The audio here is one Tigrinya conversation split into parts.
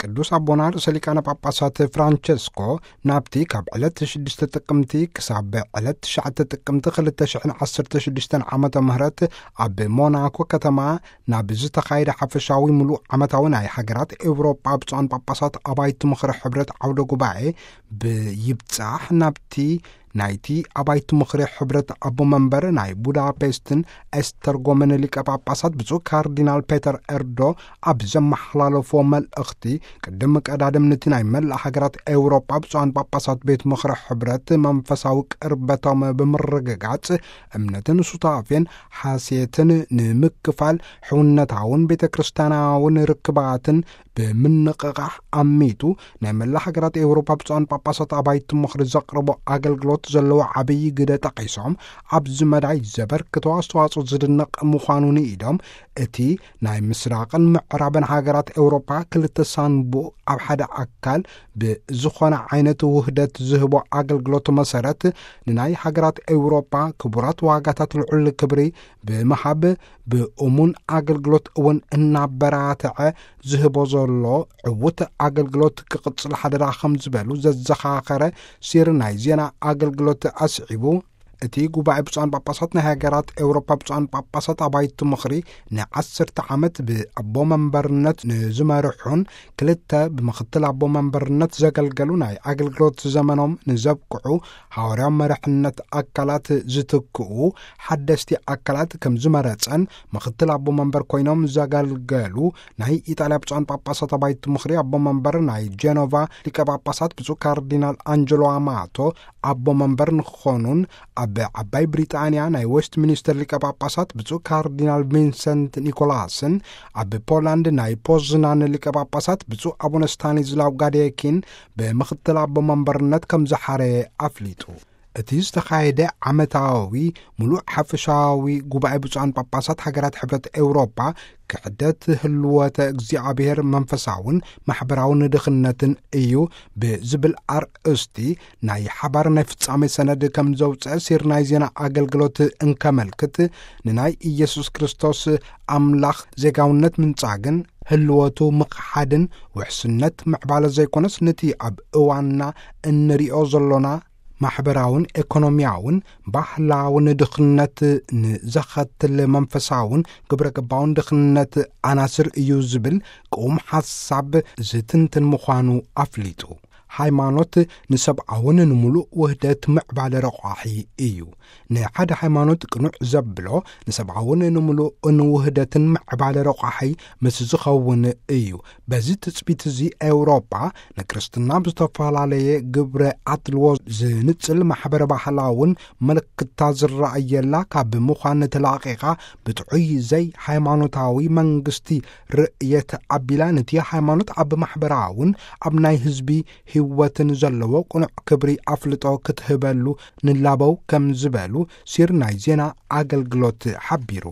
ቅዱስ ኣቦና ርእሰ ሊቃነ ጳጳሳት ፍራንቸስኮ ናብቲ ካብ ዕለት ሽዱሽተ ጥቅምቲ ክሳብ ዕለት ትሽዓተ ጥቅምቲ ክልተ ሽሕን ዓሰርተ ሽዱሽተን ዓመተ ምህረት ኣብ ሞናኮ ከተማ ናብ ዝተኻየደ ሓፈሻዊ ምሉእ ዓመታዊ ናይ ሃገራት ኤውሮጳ ብፁዓን ጳጳሳት ኣባይቲ ምኽሪ ሕብረት ዓውደ ጉባኤ ብይብጻሕ ናብቲ ናይቲ ኣባይቲ ምኽሪ ሕብረት ኣቦ መንበር ናይ ቡዳፔስትን ኤስተርጎምን ሊቀ ጳጳሳት ብፁዕ ካርዲናል ፔተር ኤርዶ ኣብ ዘመሓላለፎ መልእኽቲ፣ ቅድም ቀዳድም ነቲ ናይ መላእ ሃገራት ኤውሮጳ ብፁዓን ጳጳሳት ቤት ምኽሪ ሕብረት መንፈሳዊ ቅርበቶም ብምርግጋጽ፣ እምነትን ሱታፌን ሓሴትን ንምክፋል፣ ሕውነታውን ቤተ ክርስቲያናውን ርክባትን ብምንቕቓሕ ኣሚቱ፣ ናይ መላ ሃገራት ኤውሮጳ ብፁዓን ጳጳሳት ኣባይቲ ምኽሪ ዘቕርቦ ኣገልግሎት ዘለዎ ዓብዪ ግደ ጠቒሶም፣ ኣብዚ መዳይ ዘበርክቶ ኣስተዋጽኦ ዝድነቕ ምዃኑ ንኢዶም፣ እቲ ናይ ምስራቕን ምዕራብን ሃገራት ኤውሮጳ ክልተ ሳንቡእ ኣብ ሓደ ኣካል ብዝኾነ ዓይነት ውህደት ዝህቦ ኣገልግሎት መሰረት፣ ንናይ ሃገራት ኤውሮጳ ክቡራት ዋጋታት ልዑል ክብሪ ብምሃብ፣ ብእሙን ኣገልግሎት እውን እናበራትዐ ዝህቦ ዘሎ ዕዉት ኣገልግሎት ክቕጽል ሓደራ ከም ዝበሉ ዘዘኻኸረ ሲር ናይ ዜና ኣገልግሎት ኣስዒቡ፣ እቲ ጉባኤ ብፁዓን ጳጳሳት ናይ ሃገራት ኤውሮጳ ብፁዓን ጳጳሳት ኣባይቲ ምኽሪ ንዓሰርተ ዓመት ብኣቦ መንበርነት ንዝመርሑን ክልተ ብምኽትል ኣቦ መንበርነት ዘገልገሉ ናይ ኣገልግሎት ዘመኖም ንዘብቅዑ ሃዋርያዊ መርሕነት ኣካላት ዝትክኡ ሓደስቲ ኣካላት ከም ዝመረጸን፣ ምኽትል ኣቦ መንበር ኮይኖም ዘገልገሉ ናይ ኢጣልያ ብፁዓን ጳጳሳት ኣባይቲ ምኽሪ ኣቦ መንበር ናይ ጄኖቫ ሊቀ ጳጳሳት ብፁዕ ካርዲናል ኣንጀሎ ኣማቶ፣ ኣቦ መንበር ንክኾኑን፣ ኣብ ዓባይ ብሪጣንያ ናይ ዌስት ሚኒስተር ሊቀ ጳጳሳት ብፁዕ ካርዲናል ቪንሰንት ኒኮላስን፣ ኣብ ፖላንድ ናይ ፖዝናን ሊቀ ጳጳሳት ብፁዕ ኣቡነ ስታኒዝላው ጋዴኪን ብምኽትል ኣቦ መንበርነት ከም ዝሓረየ ኣፍሊጡ። እቲ ዝተኻየደ ዓመታዊ ምሉእ ሓፈሻዊ ጉባኤ ብፁዓን ጳጳሳት ሃገራት ሕብረት ኤውሮጳ፣ ክሕደት ህልወተ እግዚኣብሔር መንፈሳውን ማሕበራውን ድኽነትን እዩ ብዝብል ኣርእስቲ ናይ ሓባር ናይ ፍጻሜ ሰነድ ከም ዘውፅአ ሲር ናይ ዜና ኣገልግሎት እንከመልክት፣ ንናይ ኢየሱስ ክርስቶስ ኣምላኽ ዜጋውነት ምንጻግን ህልወቱ ምኽሓድን ውሕስነት ምዕባለ ዘይኮነስ፣ ነቲ ኣብ እዋንና እንሪኦ ዘሎና ማሕበራውን ኤኮኖሚያውን ባህላውን ድኽነት ንዘኸትል መንፈሳውን ግብረ ገባውን ድኽነት ኣናስር እዩ ዝብል ቅዉም ሓሳብ ዝትንትን ምዃኑ ኣፍሊጡ። ሃይማኖት ንሰብኣውን ንምሉእ ውህደት ምዕባለ ረቋሒ እዩ። ንሓደ ሃይማኖት ቅኑዕ ዘብሎ ንሰብኣውን ንምሉእን ውህደትን ምዕባለ ረቋሒ ምስ ዝኸውን እዩ። በዚ ትጽቢት እዚ ኤውሮጳ ንክርስትና ብዝተፈላለየ ግብረ ኣድልዎ ዝንጽል ማሕበረ ባህላውን ምልክታ ዝረኣየላ ካብ ምዃን ተላቒቓ ብጥዑይ ዘይ ሃይማኖታዊ መንግስቲ ርእየት ኣቢላ ነቲ ሃይማኖት ኣብ ማሕበራውን ኣብ ናይ ህዝቢ ህይወትን ዘለዎ ቅኑዕ ክብሪ ኣፍልጦ ክትህበሉ ንላበው ከም ዝበሉ ሲር ናይ ዜና ኣገልግሎት ሓቢሩ።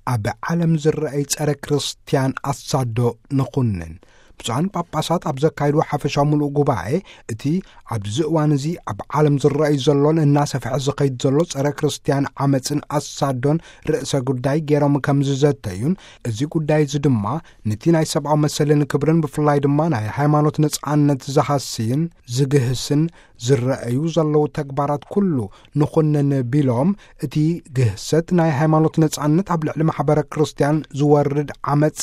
ኣብ ዓለም ዝረኣይ ጸረ ክርስትያን ኣሳዶ ንኹንን። ብፁዓን ጳጳሳት ኣብ ዘካይድዎ ሓፈሻዊ ምሉእ ጉባኤ፣ እቲ ኣብዚ እዋን እዚ ኣብ ዓለም ዝረኣይ ዘሎን እናሰፍሐ ዝኸይድ ዘሎ ጸረ ክርስትያን ዓመጽን ኣሳዶን ርእሰ ጉዳይ ገይሮም ከም ዝዘተዩን፣ እዚ ጉዳይ እዚ ድማ ነቲ ናይ ሰብኣዊ መሰልን ክብርን ብፍላይ ድማ ናይ ሃይማኖት ነጻነት ዝሃስይን ዝግህስን ዝረኣዩ ዘለዉ ተግባራት ኩሉ ንኹንን ቢሎም፣ እቲ ግህሰት ናይ ሃይማኖት ነጻነት ኣብ ልዕሊ ማሕበረ ክርስትያን ዝወርድ ዓመጽ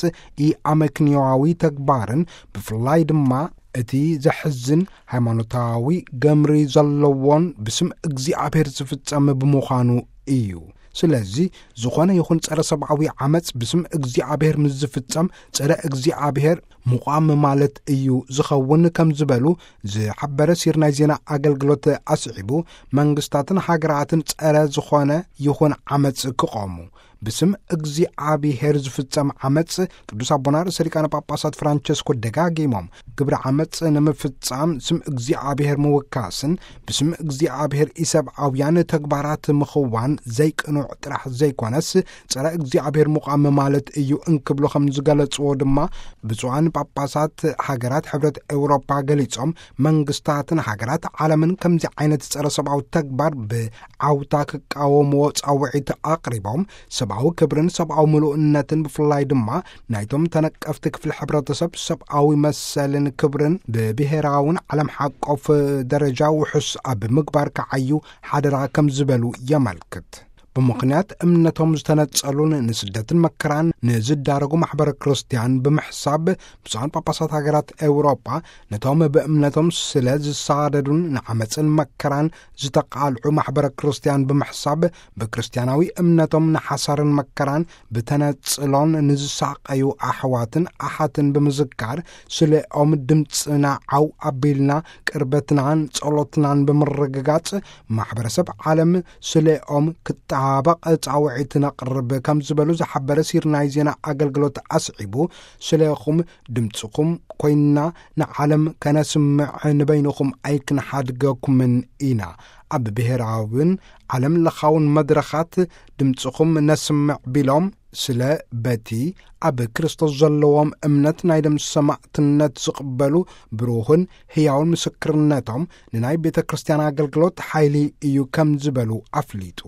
ኢኣመክንዮዊ ተግባርን ብፍላይ ድማ እቲ ዘሕዝን ሃይማኖታዊ ገምሪ ዘለዎን ብስም እግዚኣብሔር ዝፍጸም ብምዃኑ እዩ። ስለዚ ዝኾነ ይኹን ጸረ ሰብኣዊ ዓመጽ ብስም እግዚኣብሔር ምስ ዝፍጸም ጸረ እግዚኣብሔር ምዃም ማለት እዩ ዝኸውን ከም ዝበሉ ዝሓበረ ሲር ናይ ዜና ኣገልግሎት ኣስዒቡ፣ መንግስታትን ሃገራትን ጸረ ዝኾነ ይኹን ዓመጽ ክቖሙ፣ ብስም እግዚኣብሔር ዝፍጸም ዓመጽ ቅዱስ ኣቦና ርእሰ ሊቃነ ጳጳሳት ፍራንቸስኮ ደጋጊሞም፣ ግብሪ ዓመጽ ንምፍጻም ስም እግዚኣብሔር ምውካስን ብስም እግዚኣብሔር ኢሰብኣውያን ተግባራት ምኽዋን ዘይቅኑዕ ጥራሕ ዘይኮነስ፣ ጸረ እግዚኣብሔር ምዃም ማለት እዩ እንክብሉ ከም ዝገለጽዎ ድማ ብፁዓን ጳጳሳት ሃገራት ሕብረት ኤውሮጳ ገሊጾም፣ መንግስታትን ሃገራት ዓለምን ከምዚ ዓይነት ጸረ ሰብኣዊ ተግባር ብዓውታ ክቃወምዎ ጻውዒት ኣቕሪቦም፣ ሰብኣዊ ክብርን ሰብኣዊ ምሉእነትን ብፍላይ ድማ ናይቶም ተነቀፍቲ ክፍሊ ሕብረተሰብ ሰብኣዊ መሰልን ክብርን ብብሔራውን ዓለም ሓቆፍ ደረጃ ውሑስ ኣብ ምግባር ክዓዩ ሓደራ ከም ዝበሉ የመልክት። ብምኽንያት እምነቶም ዝተነጸሉን ንስደትን መከራን ንዝዳረጉ ማሕበረ ክርስቲያን ብምሕሳብ፣ ብፁዓን ጳጳሳት ሃገራት ኤውሮጳ ነቶም ብእምነቶም ስለ ዝሳደዱን ንዓመጽን መከራን ዝተቓልዑ ማሕበረ ክርስቲያን ብምሕሳብ፣ ብክርስቲያናዊ እምነቶም ንሓሳርን መከራን ብተነጽሎን ንዝሳቐዩ ኣሕዋትን ኣሓትን ብምዝካር፣ ስለኦም ድምጽና ዓው ኣቢልና ቅርበትናን ጸሎትናን ብምርግጋጽ፣ ማሕበረሰብ ዓለም ስለኦም ክጣበቕ ጻውዒት ነቕርብ ከም ዝበሉ ዝሓበረ ሲር ናይ ዜና ኣገልግሎት ኣስዒቡ፣ ስለኹም ድምጽኹም ኮይንና ንዓለም ከነስምዕ ንበይንኹም ኣይክንሓድገኩምን ኢና። ኣብ ብሔራውን ዓለም ለኻውን መድረኻት ድምጽኹም ነስምዕ ቢሎም፣ ስለ በቲ ኣብ ክርስቶስ ዘለዎም እምነት ናይ ደም ሰማዕትነት ዝቕበሉ ብሩህን ህያውን ምስክርነቶም ንናይ ቤተ ክርስቲያን ኣገልግሎት ሓይሊ እዩ ከም ዝበሉ ኣፍሊጡ።